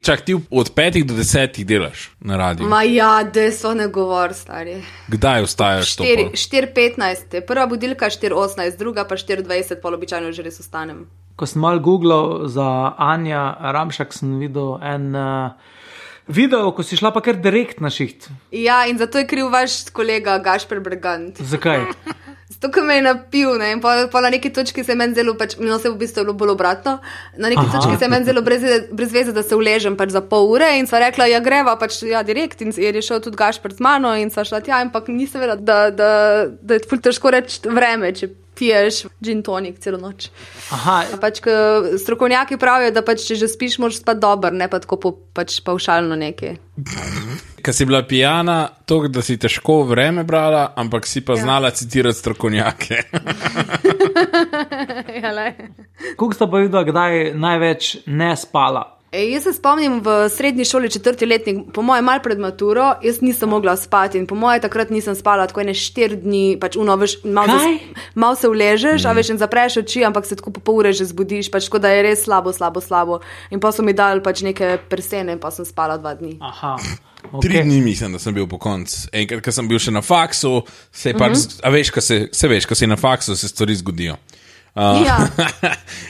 Čak, ti od 5 do 10 delaš na radiju? Ma ja, deso ne govor, stari. Kdaj ostajaš to? 4:15, prva budilka 4:18, druga pa 4:20, pol običajno že res ostanem. Ko sem malo googlal za Anja Ramšak, sem videl en video, ko si šla pa kar direkt na šiht. Ja, in zato je kriv vaš kolega Gašper Bergant. Zakaj? Zato, ko me je napil, ne, in pa na neki točki se je meni zelo, pač, no se v bistvu je bilo bolj obratno, na neki točki se je meni zelo brez veze, da se uležem pač za pol ure in sva rekla, ja greva pač ja direkt in je šel tudi Gašper z mano in sva šla tja, ampak nisem vedela, da je ful težko reči vreme, če piješ gin tonic celo noč. Aha. Pač, strokovnjaki pravijo, da pač, če že spiš, moraš spati dober, ne pa tako pač pavšalno nekaj. Kaj si bila pijana, to, da si težko vreme brala, ampak si pa znala citirati strokovnjake. Koliko sta pa videla, kdaj največ ne spala? Jaz se spomnim v srednji šoli 4. letnik, po moje mal pred maturo, jaz nisem mogla spati in po moje takrat nisem spala tako 4 dni, pač malo se uležeš, a veš in zapreš oči, ampak se tako po pol ure že zbudiš, pač tako da je res slabo. In pa so mi dali pač neke persene in pa sem spala 2 dni. Aha. Okay. 3 dni mislim, da sem bil po koncu. Enkrat, ko sem bil še na faksu, se pač, a veš, ko si na faksu, se stvari zgodijo. Ja,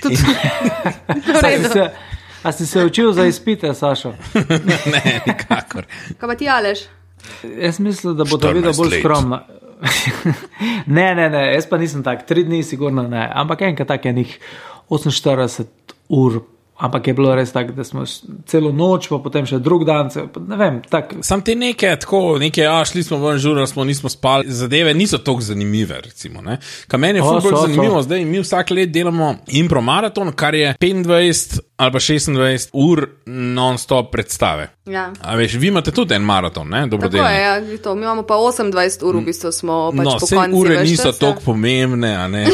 tudi. A si se učil za izpite, Sašo? Ne, nikakor. Kaj pa ti, Aleš? Jaz mislim, da bo to videl bolj skromno. Ne, jaz pa nisem tak, 3 dni sigurno ne, ampak enkrat tak je njih 48 ur, ampak je bilo res tako, da smo celo noč, pa potem še drug dan, ne vem, tak. Sam te neke, šli smo ven, žurali smo, nismo spali, zadeve niso toliko zanimive, recimo, ne. Kaj meni je bolj zanimivo, zdaj mi vsak let delamo impro maraton, kar je 25 ali pa 26 ur non-stop predstave. Ja. A veš, vi imate tudi en maraton, ne, dobrodelni. Tako je, ja, to, mi imamo pa 28 ur, v bistvu smo pač po konci. No, ure niso toliko pomembne, a ne.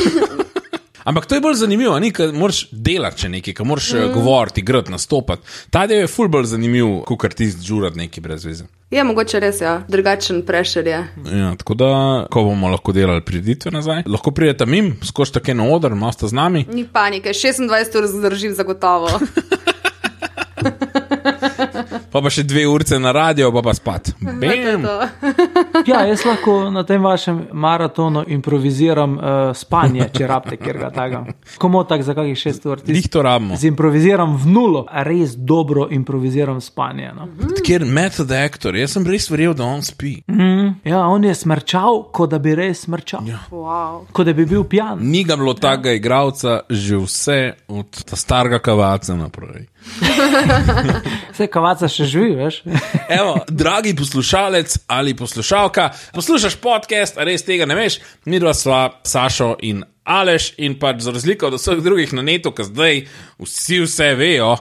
Ampak to je bolj zanimivo, ker moraš delati še nekaj, ker moraš govoriti, igrati, nastopati. Ta del je ful bolj zanimiv, kot ti žurati nekaj brez veze. Je mogoče res, ja, drugačen pressure je. Ja, tako da, ko bomo lahko delali prireditve nazaj, lahko pridete mim, skočite kaj na oder, malo ste z nami. Ni panike, 26 ur zdržim zagotovo. Pa še 2 urce na radio, pa spat. Bam! Ja, jaz lahko na tem vašem maratonu improviziram spanje, če rabite kjerga tega. Komo tak za kakih 6 ur. Lih to rabimo. Improviziram v nulo, res dobro improviziram spanje. No. Kjer method actor, jaz sem res verjel, da on spi. Ja, on je smrčal, kot da bi res smrčal. Ja. Wow. Kot da bi bil pijan. Ni ga bilo takega igralca že vse od ta starega Kavaca naprej. Vse Kavaca še živi, veš? Evo, dragi poslušalec ali poslušalka, poslušaš podcast, a res tega ne veš, mi dva sva Sašo in Aleš in pač za razliko od vseh drugih na netu, ki zdaj vse vejo,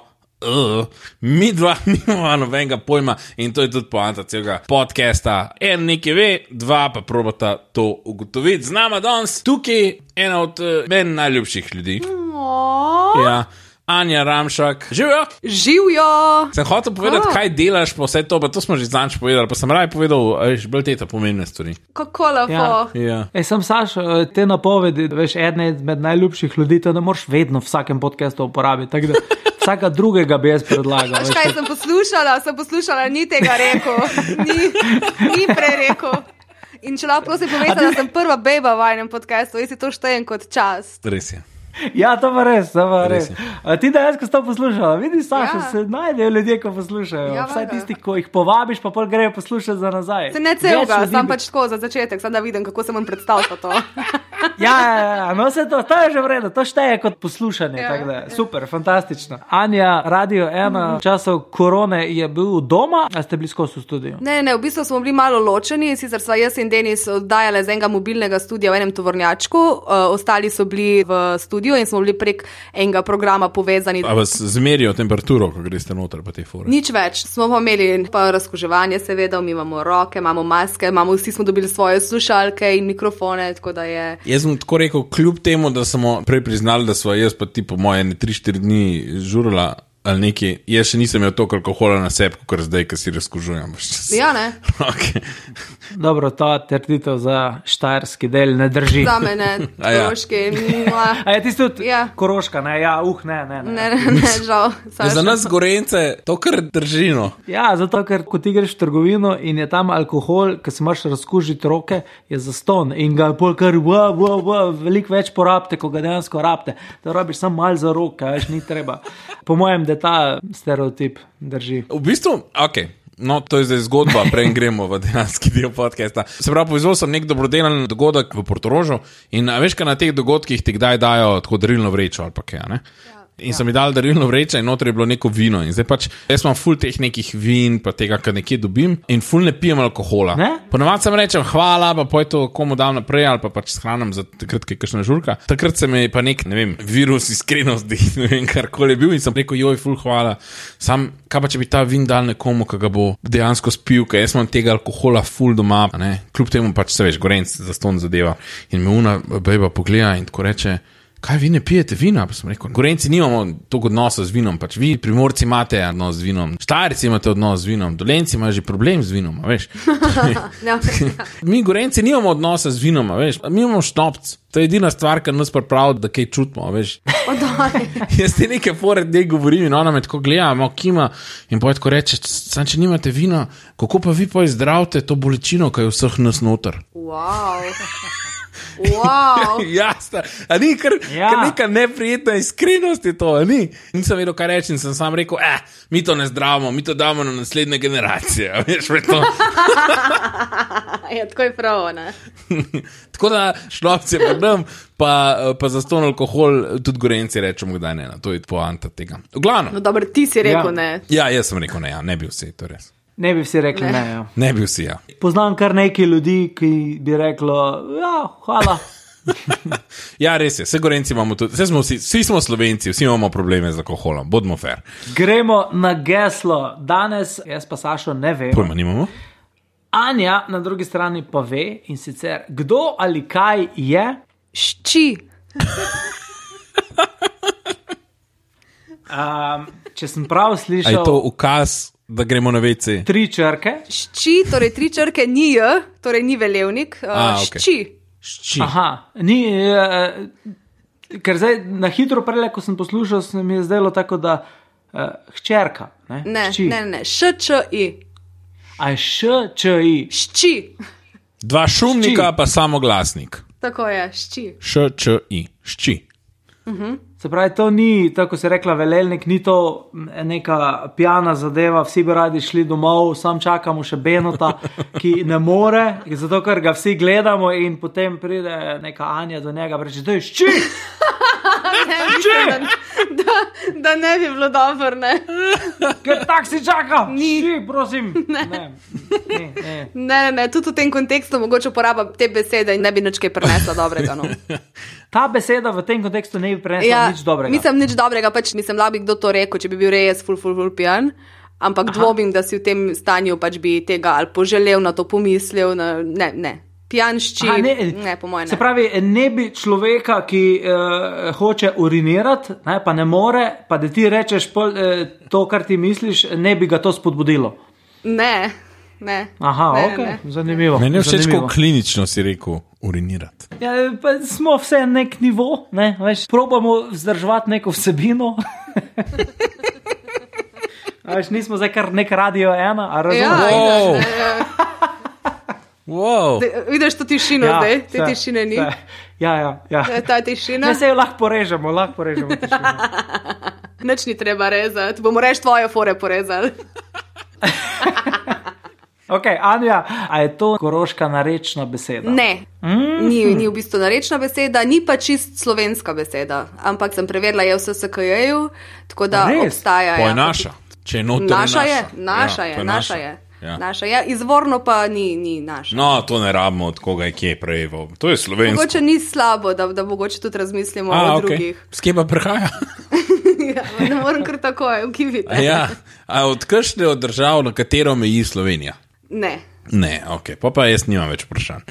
mi dva nimamo nobenega pojma in to je tudi poanta celega podcasta. En nekaj ve, 2 pa probata to ugotoviti. Z nama danes tukaj ena od meni najljubših ljudi. Ja. Anja Ramšak. Živjo! Živjo! Sem hotel povedati, kaj delaš pa vse to, pa to smo že zanč povedali, pa sem raje povedal, bolj te pomembne stvari. Kako lepo. Ja. Sem Sašo, te napovedi, veš, ena med najljubših ljudi, to ne moreš vedno v vsakem podcastu uporabiti, tako da vsaka drugega bi jaz predlagal. Veš, kaj sem poslušala, ni tega rekel, ni prerekel. In če lahko prosim povedati, da sem prva beba v enem podcastu, jaz si to štejem kot čast. Res je. Ja, to pa res. Ti da jaz, ko si to poslušala, vidiš, Saša, se najdejo ljudje, ko poslušajo. Ja, vsaj tisti, ko jih povabiš, pa pol grejo poslušati za nazaj. Se ne celega, sam pač tako za začetek, sam da vidim, kako se vam predstavlja to. Ja, no se to je že v redu, to šteje kot poslušanje, tako da, super, fantastično. Anja, Radio 1, v času korone je bil doma, a ste bili skozi v studiu? Ne, v bistvu smo bili malo ločeni, sicer sva jaz in Denis oddajali z enega mobilnega studia v enem tovornjačku, ostali so bili v studiu in smo bili prek enega programa povezani. A vas zmerijo temperaturo, ko greste noter pa te fore? Nič več, smo pa imeli pa razkuževanje seveda, mi imamo roke, imamo maske, vsi smo dobili svoje slušalke in mikrofone, tako da je... Jaz sem tako rekel, kljub temu, da smo prej priznali, da sva jaz pa ti po moje 3-4 dni žurala ali nekaj. Jaz še nisem imel toliko alkohola na sebi, kot zdaj, ki si razkužujem. Ja, ne. Okay. Dobro, ta trditev za štajerski del ne drži. Za mene, Koroški. A je tisto tudi Koroška, ne? Ja, ne. Ne, žal. Za nas Gorence to kar drži, no. Ja, zato, ker ko ti greš v trgovino in je tam alkohol, ki se moraš razkužiti roke, je zaston in ga pol kar veliko več porabite, ko ga dejansko rabite. Da rabiš samo malo za roke, več ni treba. Po mojem, da ta stereotip drži. V bistvu, okej. No, to je zdaj zgodba, prej gremo v dejanski del podcasta. Se pravi, povezal sem nek dobrodelen dogodek v Portorožu in veš, kaj na teh dogodkih ti kdaj dajo tako darilno vrečo ali pa kaj, ne? In so mi dali darilno vrečo in notri je bilo neko vino. In zdaj pač, jaz imam ful teh nekih vin, pa tega, kar nekje dobim in ful ne pijem alkohola. Ponavadi sem rečem hvala, pa poj to komu dam naprej ali pa pač shranim za takrat, kaj kakšna žurka. Takrat se mi pa nek, ne vem, virus iskrenosti, ne vem, karkoli je bil in sem rekel, joj, ful hvala. Sam, kaj pa če bi ta vin dal nekomu, ki ga bo dejansko spil, ker jaz imam tega alkohola ful doma, ne. Kljub temu pač se veš, Gorenc zaston zadeva. In me una bejba pogleda in tako reče, kaj vi ne pijete vina? Pa sem rekel, Gorenci nimamo toliko odnosa z vinom, pač vi Primorci imate odnos z vinom, Štajerci imate odnos z vinom, Dolenci imajo že problem z vinom, veš. Mi Gorenci nimamo odnosa z vinom, veš, mi imamo šnopc. To je edina stvar, kar nas pripravi, da kaj čutimo, veš. Jaz ti nekaj fore dej govorim in ona me tako gleda, malo kima in potem tako reče, sam če nimate vina, kako pa vi potem zdravite to bolečino, ki je vseh nas noter. Wow. Jasno, a ni kar neka neprijetna iskrenost je to, a ni? Nisem vedel, kaj reči in sem sam rekel, mi to ne zdravimo, mi to damo na naslednje generacije, veš, to. Ja, tako je prav, ne? Tako da šnopce predem, pa za ston alkohol tudi Gorenci rečemo, kdaj ne, to je poanta tega. V glavnem. No dobro, ti si rekel ne. Ja, jaz sem rekel ne, ne bi vsi, to res. Ne bi vsi rekli ne, ja. Ne bi vsi, ja. Poznam kar nekaj ljudi, ki bi reklo, ja, hvala. Ja, res je, vse Gorenci imamo tudi, vsi smo Slovenci, vsi imamo probleme z alkoholom, bodimo fair. Gremo na geslo. Danes, jaz pa Sašo ne vem. Pojma nimamo. Anja na drugi strani pa ve in sicer, kdo ali kaj je? Šči. Če sem prav slišal... A je to ukaz, da gremo na WC? 3 črke. Šči, torej 3 črke ni J, torej ni velevnik. Okay. Šči. Aha, ni... ker zdaj na hitro prele, ko sem poslušal, se mi je zdelo tako, da hčerka. Ne, Š-Č-I. A je Š-Č-I. Šči. 2 šumnika pa samo glasnik. Tako je, šči. Š-Č-I. Šči. Se pravi, to ni, tako se rekla, velelnik, ni to neka pijana zadeva, vsi bi radi šli domov, sam čakamo še Benota, ki ne more, zato ker ga vsi gledamo in potem pride neka Anja do njega, reče, da je šči! Da ne bi bilo dobro, ne? Ker tak si čaka! Šči, prosim! Ne, tudi v tem kontekstu mogoče uporaba te besede in ne bi nič kaj prinesla dobrega, no. Ta beseda v tem kontekstu ne bi prinesla nič dobrega. Mislim, nič dobrega, pač mislim, da bi kdo to rekel, če bi bil res ful pijan, ampak dvomim, da si v tem stanju pač bi tega ali poželel na to pomislil, ne. Pijanšči, ne, po mojem ne. Se pravi, ne bi človeka, ki hoče urinirati, ne, pa ne more, pa da ti rečeš to, kar ti misliš, ne bi ga to spodbudilo. Ne. Aha, ok, zanimivo. Meni je všeč, ko klinično si rekel urinirati. Ja, pa smo vse nek nivo, ne, veš, probamo vzdrževati neko vsebino. Veš, nismo zdaj kar nek Radio 1, a razumeš? Wow. Vidiš to tišino zdaj? Te tišine ni? Ja. Ta tišina? Ne, se jo lahko porežemo tišino. Nič ni treba rezati, bomo reč tvoje fore porezali. Ok, Anja, a je to koroška narečna beseda? Ne, ni v bistvu narečna beseda, ni pa čist slovenska beseda, ampak sem preverila, je v SSKJ-ju, tako da obstaja. Po je naša, če je noter naša je. Naša je, izvorno pa ni naša. No, to ne rabimo od koga je kje prejeval. To je slovensko. Mogoče ni slabo, da mogoče tudi razmislimo o drugih. S kje pa prihaja? Ne moram kar takoj, ukivite. A od kakšne od držav, na katero meji Slovenija? Ne. Ne, ok, pa jaz nimam več vprašanj.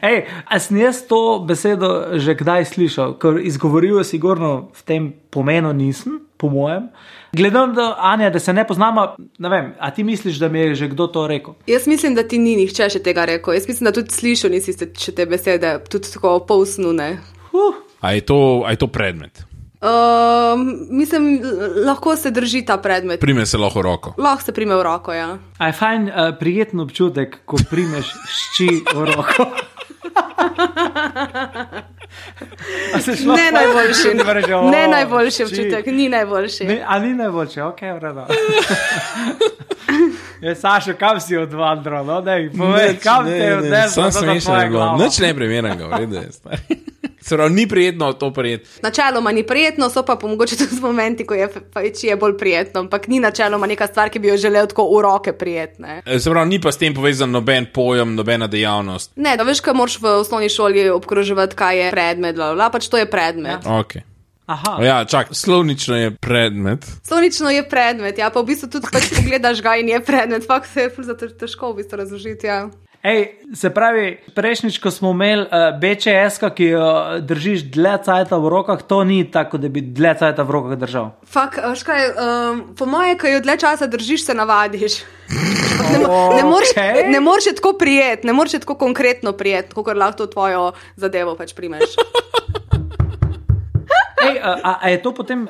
Ej, a sem jaz to besedo že kdaj slišal? Ker izgovoril sigurno v tem pomenu nisem, po mojem. Gledam, Anja, da se ne poznamo, ne vem, a ti misliš, da mi je že kdo to rekel? Jaz mislim, da ti ni nihče še tega rekel. Jaz mislim, da tudi slišal nisi še te besede, tudi tako polsnune. A je to predmet? Mislim, lahko se drži ta predmet. Prime se lahko v roko. Lahko se prime v roko, ja. A je fajn, prijeten občutek, ko primeš šči v roko. Ne najboljši, ne najboljši občutek, ni najboljši. A ni najboljši, ok, vreda. Sašo, kam si odvandral, no? Povej, kam te je odneslo, da je tvoja glava? Nič ne primernega, vrede je stari. Se pravi, ni prijetno to prijeti. Načeloma ni prijetno, so pa mogoče tudi momenti, ko je bolj prijetno, ampak ni načeloma neka stvar, ki bi jo želel tako v roke prijetne. Se pravi, ni pa s tem povezan noben pojem, nobena dejavnost. Ne, da veš, kaj moraš v osnovni šoli obkroževati, kaj je predmet, pač to je predmet. Ok. Aha. Ja, čak, slovnično je predmet. Slovnično je predmet, ja, pa v bistvu tudi pač pogledaš ga in je predmet, fakt se je zato težko v bistvu razložiti, ja. Ej, se pravi, prejšnjič, ko smo imeli BČS-ka, ki jo držiš dlje cajta v rokah, to ni tako, da bi dlje cajta v rokah držal. Fak, škaj, po moje, ko jo dlje časa držiš, se navadiš. Ne moreš je tako prijeti, ne moreš je tako konkretno prijeti, kot lahko tvojo zadevo pač primeš. Ej, a je to potem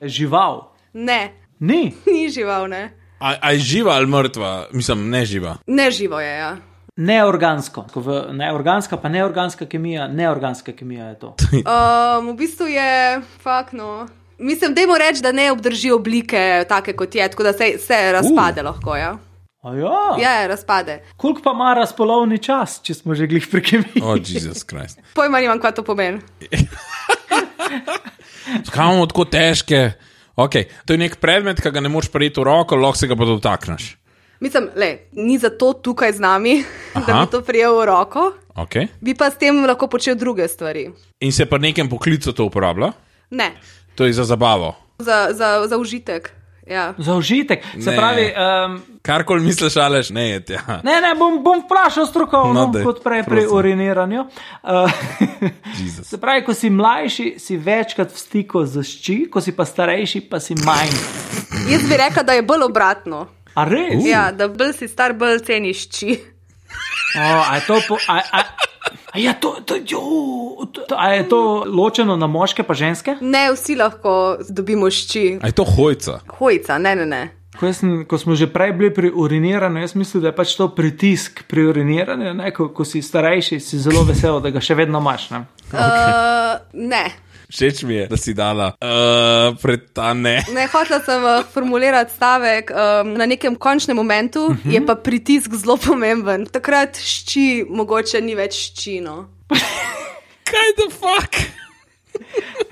žival? Ne. Ni? Ni žival, ne. A je živa ali mrtva? Mislim, ne živa. Ne živo je, ja. Neorgansko. Neorganska, pa neorganska kemija, neorganska kemija je to. V bistvu je, no. Mislim, dajmo reči, da ne obdrži oblike take kot je, tako da se razpade lahko, ja. Ja? Ja, razpade. Koliko pa ima razpolovni čas, če smo že glih pri kemiji? Oh, Jesus Christ. Pojma nimam, kaj to pomeni. Zakaj imamo tako težke? Ok, to je nek predmet, ki ga ne moreš prijeti v roko, lahko se ga pa dotakneš. Mislim, ni zato tukaj z nami, da bi to prijel v roko. Okay. Bi pa s tem lahko počel druge stvari. In se pa nekem poklicu to uporablja? Ne. To je za zabavo? Za užitek, ja. Za užitek? Se pravi... Karkoli misliš, Aleš, ne je tja. Ne, bom vprašal strokovno, kot prej pri uriniranju. Se pravi, ko si mlajši, si večkrat v stiku z šči, ko si pa starejši, pa si manj. Jaz bi rekla, da je bolj obratno. A res? Ja, da bolj si star, bolj ceniš šči. A je to ločeno na moške pa ženske? Ne, vsi lahko dobimo šči. A je to hojca? Hojca, ne. Ko smo že prej bili pri uriniranju, jaz mislim, da je pač to pritisk pri uriniranju, ne? Ko si starejši, si zelo vesel, da ga še vedno imaš. Ne. Ne. Všeč mi je, da si dala pred ta ne. Ne, hotela sem formulirati stavek. Na nekem končnem momentu je pa pritisk zelo pomemben. Takrat šči mogoče ni več ščino. Kaj the fuck?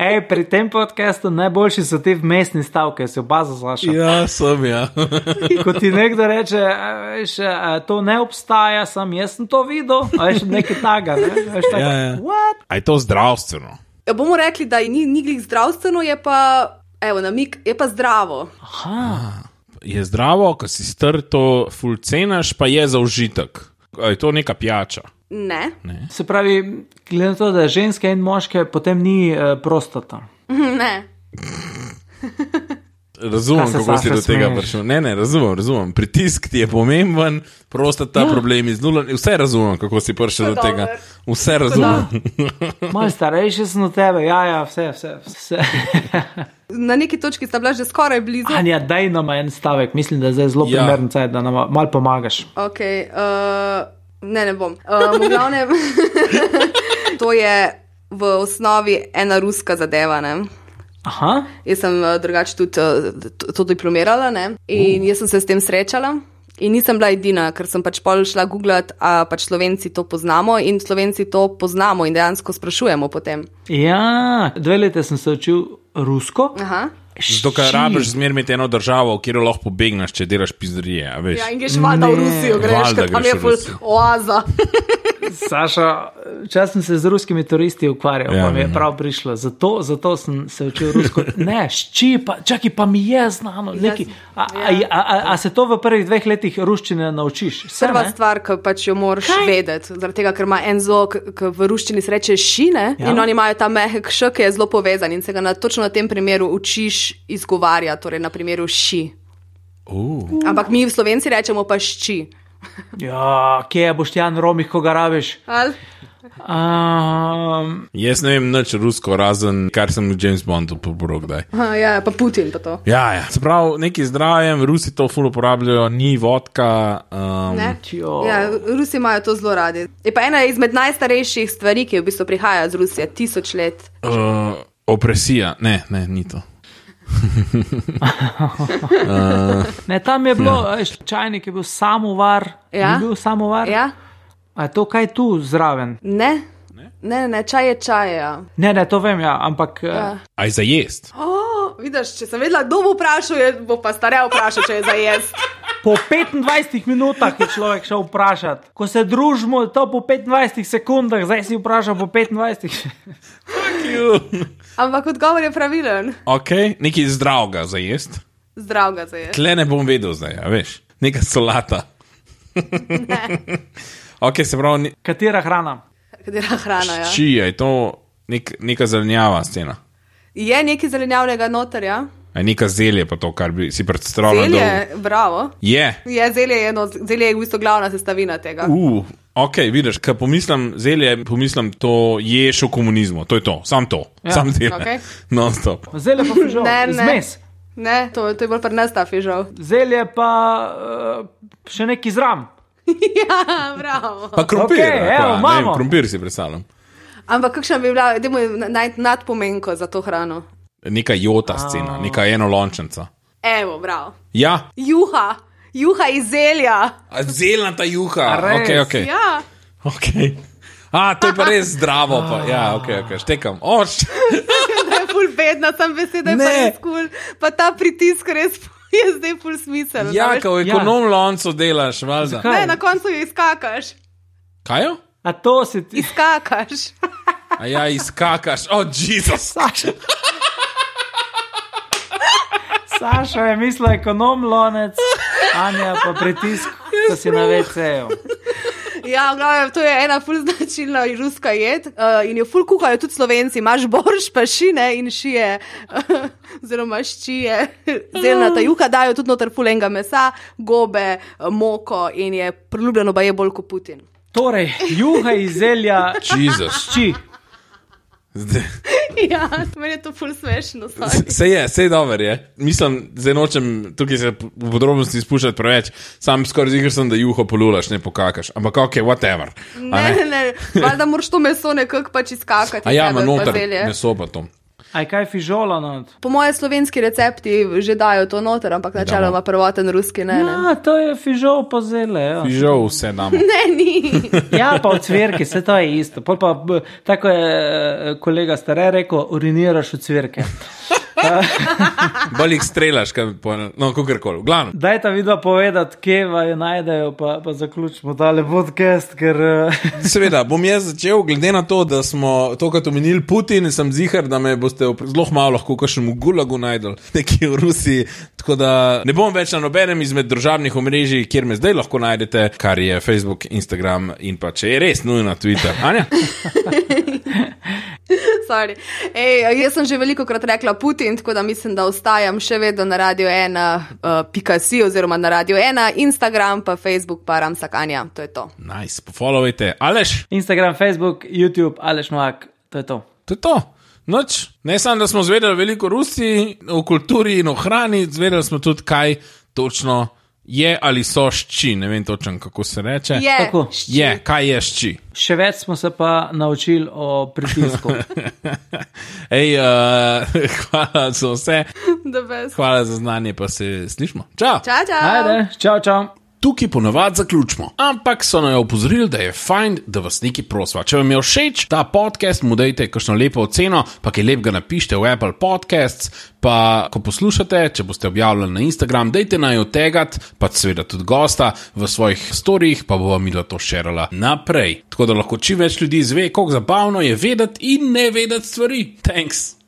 Ej, pri tem podcastu najboljši so ti vmesni stavke, si oba zaslašal. Ja, sem, ja. Ko ti nekdo reče, to ne obstaja, jaz sem to videl, a veš, nekaj taga, ne? Veš, tako, ja. What? A je to zdravstveno? Ja, bomo rekli, da ni glih zdravstveno, je pa, namik, je pa zdravo. Aha. Je zdravo, ko si star, to ful cenaš, pa je za užitek. Je to neka pijača? Ne. Se pravi, glede na to, da je ženske in moške, potem ni prostata. Ne. Razumem, kako si do tega prišel. Ne, razumem. Pritisk ti je pomemben, prostata, problemi z nulom, vse razumem, kako si prišel do tega. Vse razumem. Malo starejši sem od tebe, ja, vse. Na neki točki sta bila že skoraj blizu. Anja, daj nam en stavek, mislim, da je zdaj zelo primeren cajt, da nam malo pomagaš. Ok, ne bom. V glavnem, to je v osnovi ena ruska zadeva, ne? Aha. Jaz sem drugače tudi to diplomirala, ne? In jaz sem se s tem srečala in nisem bila edina, ker sem pač pol šla googlat, a pač Slovenci to poznamo in Slovenci to poznamo in dejansko sprašujemo potem. Ja, 2 leta sem se učil rusko. Aha. Zato, ker rabiš zmer imeti eno državo, kjer lahko pobegneš, če delaš pizdarije, a veš? Ja, in greš valjda v Rusijo, greš, ker tam je ful oaza. Saša, čas sem se z ruskimi turisti ukvarjal, pa mi je prav prišlo. Zato sem se učil rusko. Ne, čakaj, pa mi je znano. A se to v prvih 2 letih ruščine naučiš? Prva stvar, ki pač jo moraš vedeti, zaradi tega, ker ima en zvok, ki v ruščini se reče šine, in oni imajo ta mehek š, ki je zelo povezan in se ga točno na tem primeru učiš izgovarjati, torej na primeru ši. Ampak mi v Slovenci rečemo pa šči. Ja, kje je Boštjan Romih, ko ga rabiš? Jaz ne vem nič rusko, razen kar sem v James Bondu pobral kdaj. Ja, pa Putin pa to. Ja. Se pravi, neki zdravjem, Rusi to ful uporabljajo, ni vodka. Ne? Ja, Rusi imajo to zelo radi. Je pa ena izmed najstarejših stvari, ki v bistvu prihaja z Rusije, 1000 let. Opresija, ne, ni to. Ne, tam je bilo, čajnik je bil samovar. Ja. Ni bil samovar? Ja. A je to kaj tu zraven? Ne, čaj je čaj, ja. Ne, to vem, ja, ampak... A je za jest? Vidiš, če sem vedela, kdo bo vprašal, bo pa starja vprašal, če je za jest. Po 25 minutah je človek šel vprašati. Ko se družimo, to po 25 sekundah, zdaj si vprašal po 25. Ampak odgovor je pravilen. Ok, nekaj zdravega za jest. Zdravega za jest. Tle ne bom vedel zdaj, a veš. Neka solata. Ne. Ok, se pravi... Katera hrana? Katera hrana, ja. Čija, je to neka zelenjava scena? Je nekaj zelenjavnega noter, ja. A neka zelje pa to, kar bi si predstavljal. Zelje, bravo. Je. Zelje je v bistvu glavna sestavina tega. Ok, vidiš, ko pomislim zelje, pomislim to ješ v komunizmu, to je to, sam to, sam zelje, Okay. non-stop. Zelje pa fižol, zmes. Ne, to je bolj pri nas ta fižol. Zelje pa še neki zram. Ja, bravo. Pa krompir, imamo. Krompir si predstavljam. Ampak kakšna bi bila, dajmo nadpomenko za to hrano? Neka jota scena, neka enolončenca. Evo, bravo. Ja. Juha iz zelja. Zelnata juha, ok. Ja. Ok. To je pa res zdravo, pa. Ja, ok, štekam. Da je ful bedna, sem beseda, je pa res cool. Pa ta pritisk res je zdaj ful smisel. Ja, ko v ekonom loncu delaš, valjda. Ne, na koncu jo izkakaš. Kaj jo? A to si ti... Izkakaš. A ja, izkakaš. Jezus. Saša je mislil ekonom lonec, Anja pa pritisk, ko si na WC-ju. Ja, glavno, to je ena ful značilna ruska jed in jo ful kuhajo tudi Slovenci. Imaš borš, pa šine in šije, oziroma ščije, zelnata juha, dajo tudi noter ful enega mesa, gobe, moko in je priljubljeno baje bolj kot Putin. Torej, juha iz zelja, šči. Ja, meni je to ful smešno. Se je dober, je. Mislim, zdaj nočem tukaj se v podrobnosti spuščati preveč, sam skoraj ziger sem, da juho polulaš, ne pokakaš, ampak ok, whatever. Ne, valjda moraš to meso nekako pač izkakati. A ja, ima noter meso pa to. A je kaj fižola not? Po moje slovenski recepti že dajo to noter, ampak načeloma prvoten ruski ne. Ja, to je fižol pa zele. Ja. Fižol vse damo. Ne, ni. Ja, pa v cvirki, vse to je isto. Pol pa, tako je kolega Stare rekel, uriniraš v cvirke. Bolj jih strelaš, kakorkoli. Glavno. Daj ta vidva povedati, kje vajo najdejo, pa zaključimo tale podcast, ker... Seveda, bom jaz začel, glede na to, da smo tokrat omenili Putin, sem zihar, da me boste zelo malo lahko kakšnemu gulagu najdel, nekje v Rusiji, tako da ne bom več na nobenem izmed družabnih omrežij, kjer me zdaj lahko najdete, kar je Facebook, Instagram in pa če je res nujno Twitter. Anja? Sorry. Jaz sem že veliko krat rekla Putin, tako da mislim, da ostajam še vedno na Radio 1.si oziroma na Radio 1, Instagram, pa Facebook, pa Ramsak Anja. To je to. Nice, pofollowajte. Aleš? Instagram, Facebook, YouTube, Aleš Novak. To je to. To je to. Noč. Ne samo, da smo zvedeli veliko Rusiji, o kulturi in o hrani, zvedeli smo tudi, kaj točno je ali so šči, ne vem točno, kako se reče. Je, kaj je šči. Še več smo se pa naučili o pritisku. Hvala za vse. Hvala za znanje, pa se slišmo. Čau. Čau. Ajde, čau. Tukaj ponavadi zaključimo, ampak so naj opozorili, da je fajn, da vas nekaj prosva. Če vam je všeč ta podcast, mu dajte kakšno lepo oceno, pa kaj lepega napišite v Apple Podcasts, pa ko poslušate, če boste objavljali na Instagram, dajte naj otegat, pa seveda tudi gosta v svojih storijih, pa bova midva to šerala naprej. Tako da lahko čim več ljudi izve, koliko zabavno je vedeti in ne vedeti stvari. Thanks!